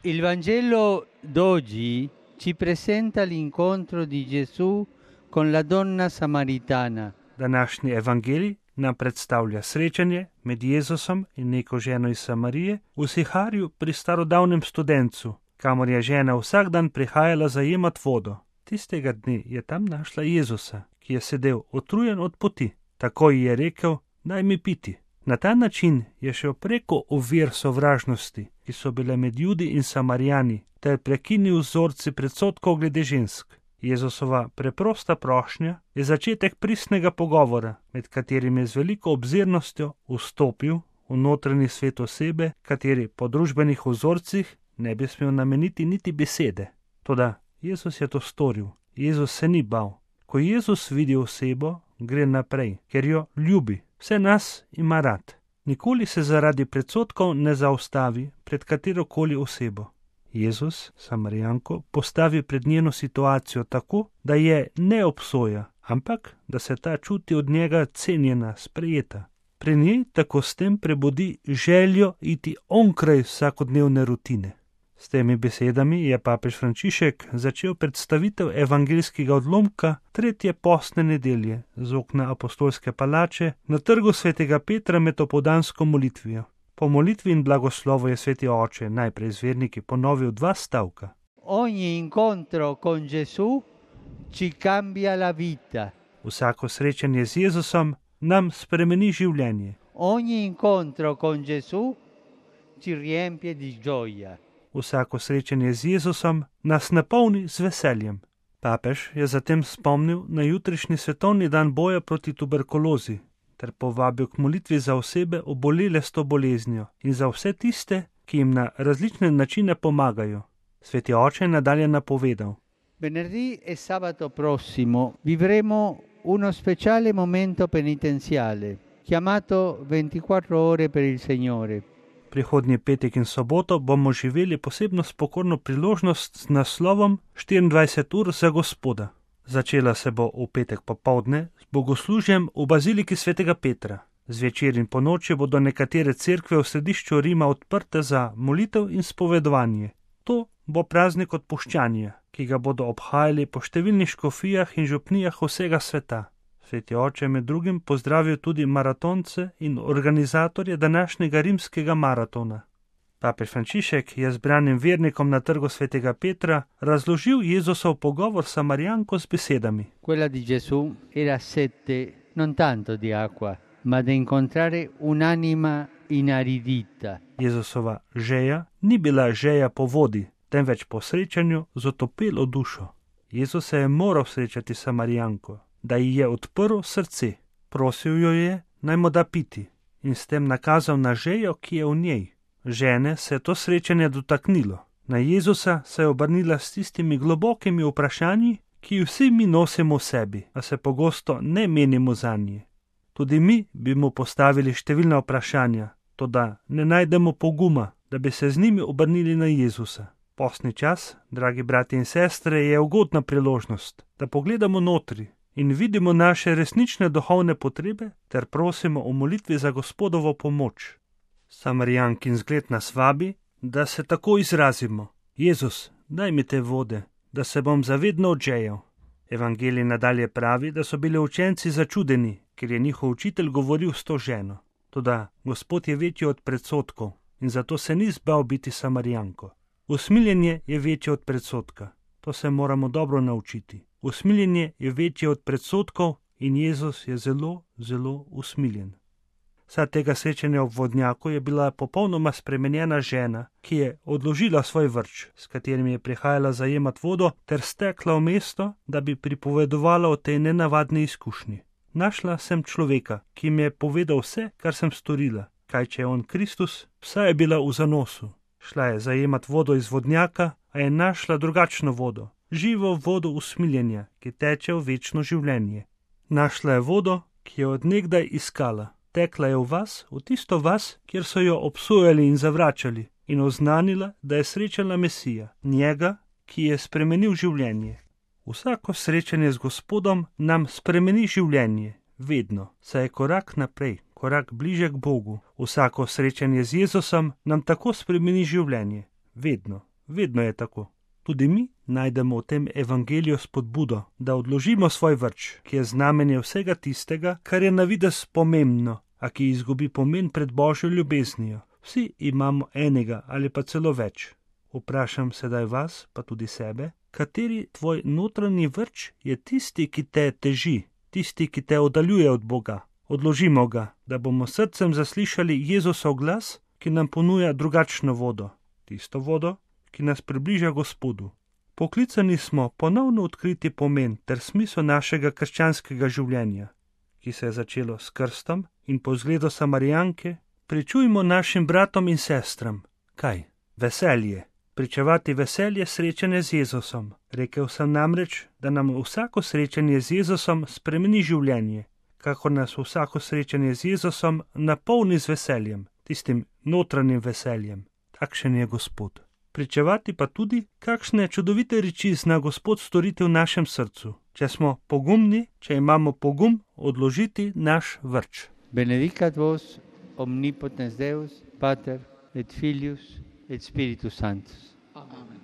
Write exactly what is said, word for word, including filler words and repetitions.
Il Vangelo d'oggi ci presenta l'incontro di Gesù con la donna samaritana. Današnji evangelij nam predstavlja srečanje med Jezusom in neko ženo iz Samarije v Siharju pri starodavnem studencu, kamor je žena vsak dan prihajala zajemat vodo. Tistega dne je tam našla Jezusa, ki je sedel utrujen od poti. Takoj je rekel: "Daj mi piti." Na ta način je šel preko ovir sovražnosti, ki so bile med Judi in Samarijani, ter prekinil vzorci predsodkov glede žensk. Jezusova preprosta prošnja je začetek pristnega pogovora, med katerim je z veliko obzirnostjo vstopil v notranji svet osebe, kateri po družbenih vzorcih ne bi smel nameniti niti besede. Toda Jezus je to storil. Jezus se ni bal. Ko Jezus vidi osebo, gre naprej, ker jo ljubi. Vse nas ima rad. Nikoli se zaradi predsodkov ne zaustavi pred katerokoli osebo. Jezus Samarijanko postavi pred njeno situacijo tako, da je ne obsoja, ampak da se ta čuti od njega cenjena, sprejeta. Pri njej tako s tem prebudi željo iti onkraj vsakodnevne rutine. S temi besedami je papež Frančišek začel predstavitev evangeljskega odlomka tretje postne nedelje z okna apostolske palače na trgu svetega Petra med opoldansko molitvijo. Po molitvi in blagoslovu je sveti oče najprej z verniki ponovil dva stavka. Ogni incontro con Gesù ci cambia la vita. Vsako srečanje z Jezusom nam spremeni življenje. Ogni incontro con Gesù ci riempie di gioia. Vsako srečanje z Jezusom nas napolni z veseljem. Papež je zatem spomnil na jutrišnji svetovni dan boja proti tuberkulozi ter povabil k molitvi za osebe obolele s to boleznijo in za vse tiste, ki jim na različne načine pomagajo. Sveti oče je nadalje napovedal: Venerdì e sabato prossimo vivremo uno speciale momento penitenziale chiamato ventiquattro ore per il Signore. Prihodnji petek in soboto bomo živeli posebno spokorno priložnost z naslovom štiriindvajset ur za Gospoda. Začela se bo v petek popoldne z bogoslužjem v baziliki svetega Petra. Zvečer in ponoči bodo nekatere cerkve v središču Rima odprte za molitev in spovedovanje. To bo praznik odpuščanja, ki ga bodo obhajali po številnih škofijah in župnijah vsega sveta. Sveti oče med drugim pozdravil tudi maratonce in organizatorje današnjega rimskega maratona. Papež Frančišek je zbranim vernikom na trgu svetega Petra razložil Jezusov pogovor s Samarijanko z besedami. Quella di Gesù era sete non tanto di acqua, ma da incontrare un'anima inaridita. Jezusova žeja ni bila žeja po vodi, temveč po srečanju z otopelo dušo. Jezus se je moral srečati s Samarijanko, da ji je odprl srce. Prosil jo je, naj mu da piti, in s tem nakazal na žejo, ki je v njej. Žene se je to srečanje dotaknilo. Na Jezusa se je obrnila s tistimi globokimi vprašanji, ki vsi mi nosimo v sebi, a se pogosto ne menimo zanje. Tudi mi bi mu postavili številna vprašanja, toda ne najdemo poguma, da bi se z njimi obrnili na Jezusa. Postni čas, dragi brati in sestre, je ugodna priložnost, da pogledamo notri in vidimo naše resnične duhovne potrebe ter prosimo o molitvi za Gospodovo pomoč. Samarijankin zgled nas vabi, da se tako izrazimo: Jezus, daj mi te vode, da se bom zavedno odžejal. Evangelij nadalje pravi, da so bili učenci začudeni, ker je njihov učitelj govoril s to ženo. Toda Gospod je večji od predsodkov in zato se ni zbal biti Samarijanko. Usmiljenje je večje od predsodka. To se moramo dobro naučiti. Usmiljenje je večje od predsodkov in Jezus je zelo, zelo usmiljen. Vsa tega srečanja ob vodnjaku je bila popolnoma spremenjena žena, ki je odložila svoj vrč, s katerim je prihajala zajemat vodo, ter stekla v mesto, da bi pripovedovala o tej nenavadni izkušnji. Našla sem človeka, ki mi je povedal vse, kar sem storila. Kaj če je on Kristus? Vsa je bila v zanosu. Šla je zajemat vodo iz vodnjaka, a je našla drugačno vodo, živo vodo usmiljenja, ki teče v večno življenje. Našla je vodo, ki je od nekdaj iskala. Tekla je v vas, v tisto vas, kjer so jo obsojali in zavračali, in oznanila, da je srečala Mesija, njega, ki je spremenil življenje. Vsako srečanje z Gospodom nam spremeni življenje, vedno, saj je korak naprej, korak bliže k Bogu. Vsako srečanje z Jezusom nam tako spremeni življenje, vedno, Vedno je tako. Tudi mi najdemo v tem evangeliju spodbudo, da odložimo svoj vrč, ki je znamenje vsega tistega, kar je na videz pomembno, a ki izgubi pomen pred Božjo ljubeznijo. Vsi imamo enega ali pa celo več. Vprašam sedaj vas, pa tudi sebe, kateri tvoj notranji vrč je tisti, ki te teži, tisti, ki te oddaljuje od Boga. Odložimo ga, da bomo srcem zaslišali Jezusov glas, ki nam ponuja drugačno vodo, tisto vodo, ki nas približa Gospodu. Poklicani smo ponovno odkriti pomen ter smisel našega krščanskega življenja, ki se je začelo s krstom in po zgledu Samarijanke pričujmo našim bratom in sestram. Kaj? Veselje. Pričevati veselje srečanje z Jezusom. Rekel sem namreč, da nam vsako srečanje z Jezusom spremeni življenje, kakor nas vsako srečanje z Jezusom napolni z veseljem, tistim notranjim veseljem. Takšen je Gospod. Pričevati pa tudi, kakšne čudovite reči zna Gospod storiti v našem srcu, če smo pogumni, če imamo pogum odložiti naš vrč. Benedicat vos omnipotens Deus, Pater et Filius et Spiritus Sanctus. Amen.